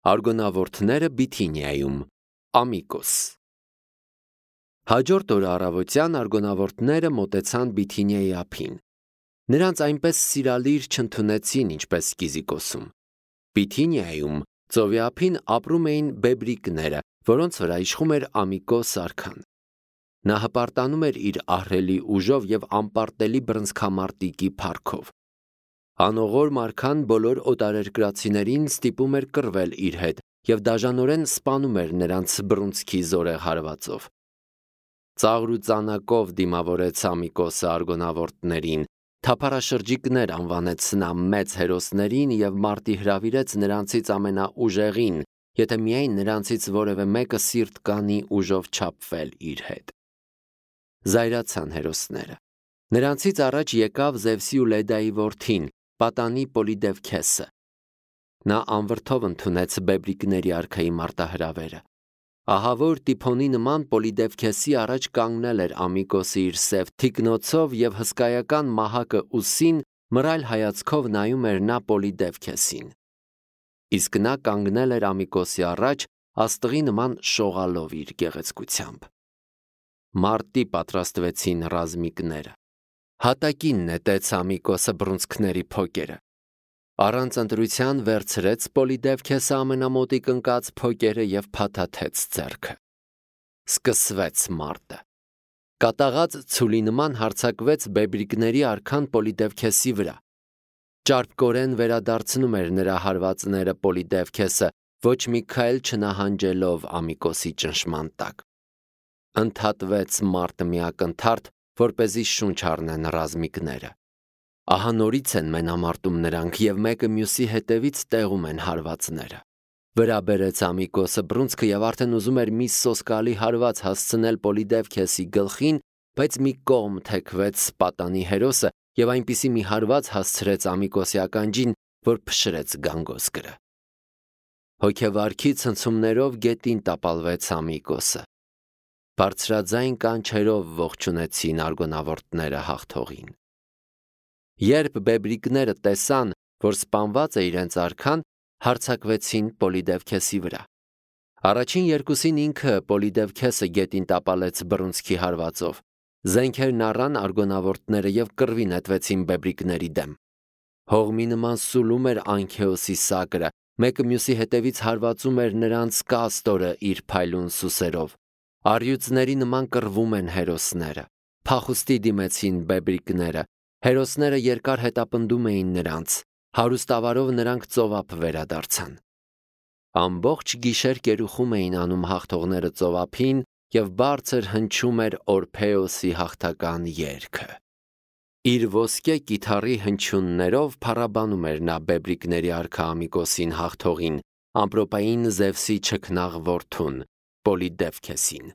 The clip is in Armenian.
Արգոնավորթները Բիթինիայում, Ամիկոս։ Հաջորդ օրը առավոտյան արգոնավորտները մոտեցան Բիթինիայի ափին։ Նրանց այնպես սիրալիր չընդունեցին, ինչպես Կիզիկոսում։ Բիթինիայում ծովի ափին ապրում էին բեբրիկները, որոնց վրա իշխում էր Ամիկոս արքան։ Նա հպարտանում էր իր ահռելի ուժով և անպարտելի բռնցքամարտիկի փառքով։ Անողորմ արքան բոլոր օտարերկրացիներին ստիպում էր կռվել իր հետ և դաժանորեն սպանում էր նրանց բռունցքի զորեղ հարվածով։ Ծաղր ու ծանակով դիմավորեց Ամիկոսը արգոնավորտներին, թափառաշրջիկներ անվանեց նա մեծ հերոսներին և մարտի հրավիրեց նրանցից ամենաուժեղին, եթե միայն նրանցից որևէ մեկը սիրտ կանի ուժով չափվել իր հետ։ Զայրացան հերոսները։ Նրանցից առաջ եկավ Զևսի ու Լեդայի որդին, պատանի Պոլիդևքեսը։ Նա անվրդով ընդունեց բեբրիկների արքայի մարտահրավերը։ Ահավոր Տիփոնի նման Պոլիդևքեսի առաջ կանգնել էր Ամիկոսը իր սև թիկնոցով և հսկայական մահակը ուսին մռայլ հայացքով նայում էր նա Պոլիդևքեսին։ Իսկ նա կանգնել էր Ամիկոսի առաջ աստղի նման շողալով իր գեղեցկությամբ։ Մարտի պատրաստվեցին ռազմիկները։ Հատակին նետեց Ամիկոսը բռունցքների փոկերը։ Առանց ընտրության վերցրեց Պոլիդևքեսը ամենամոտիկ ընկած փոկերը և փաթաթեց ձեռքը։ Սկսվեց մարտը։ Կատաղած ցուլի նման հարձակվեց բեբրիկների արքան Պոլիդևքեսի վրա։ Ճարպկորեն վերադարձնում էր նրա հարվածները Պոլիդևքեսը, ոչ մի քայլ չնահանջելով Ամիկոսի ճնշման տակ։ Ընդհատվեց մարտը մի ակնթարթ, որպեսզի շունչ առնեն ռազմիկները։ Ահա նորից են մենամարտում նրանք և մեկը մյուսի հետևից տեղում են հարվածները։ Վրա բերեց Ամիկոսը բռունցքը և արդեն ուզում էր մի սոսկալի հարված հասցնել Պոլիդևքեսի գլխին, բայց մի կողմ թեքվեց պատանի հերոսը և այնպիսի մի հարված հասցրեց Ամիկոսի ականջին, որ փշրեց գանգոսկրը։ Հոգևարքի ցնցումներով գետին տապալվեց Ամիկոսը։ Բարձրաձայն կանչերով ողջունեցին արգոնավորտները հաղթողին։ Երբ բեբրիկները տեսան, որ սպանված է իրենց արքան, հարձակվեցին Պոլիդևքեսի վրա։ Առաջին երկուսին ինքը Պոլիդևքեսը գետին տապալեց բռունցքի հարվածով։ Զենքերն առան արգոնավորտները և կռվի նետվեցին բեբրիկների դեմ։ Հողմի նման սուլում էր Անքեոսի սակրը, մեկը մյուսի հետևից հարվածում էր նրանց կաստորը իր փայլուն սուսերով։ Առյուծների նման կռվում են հերոսները։ Փախուստի դիմեցին բեբրիկները։ Հերոսները երկար հետապնդում էին նրանց։ Հարուստավարով նրանք ծովափ վերադարձան։ Ամբողջ գիշեր կերուխում էին անում հաղթողները ծովափին և բարձր հնչում էր Օրփեոսի հաղթական երգը։ Իր ոսկե կիթառի հնչյուններով փառաբանում էր նա բեբրիկների արքա Ամիկոսին հաղթողին, ամպրոպային Զևսի չքնաղ որդուն Պոլիդևքեսին։